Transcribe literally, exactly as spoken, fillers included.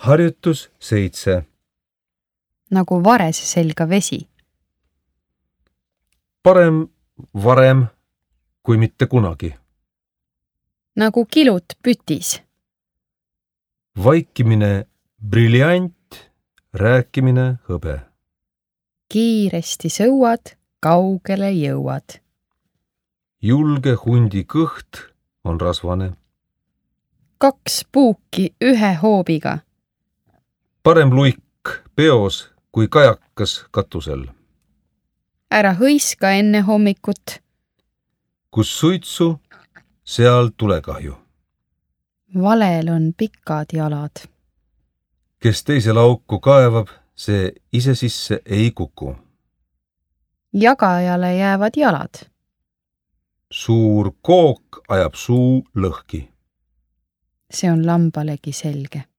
Harjutus seitse. Nagu varese selga vesi. Parem varem kui mitte kunagi. Nagu kilut pütis. Vaikimine briljant, rääkimine hõbe. Kiiresti sõuad, kaugele jõuad. Julge hundi kõht on rasvane. Kaks puuki ühe hoobiga. Parem luik peos kui kajakas katusel. Ära hõiska enne hommikut. Kus suitsu, seal tulekahju. Valel on pikad jalad. Kes teise lauku kaevab, see ise sisse ei kuku. Jagajale jäävad jalad. Suur kook ajab suu lõhki. See on lambalegi selge.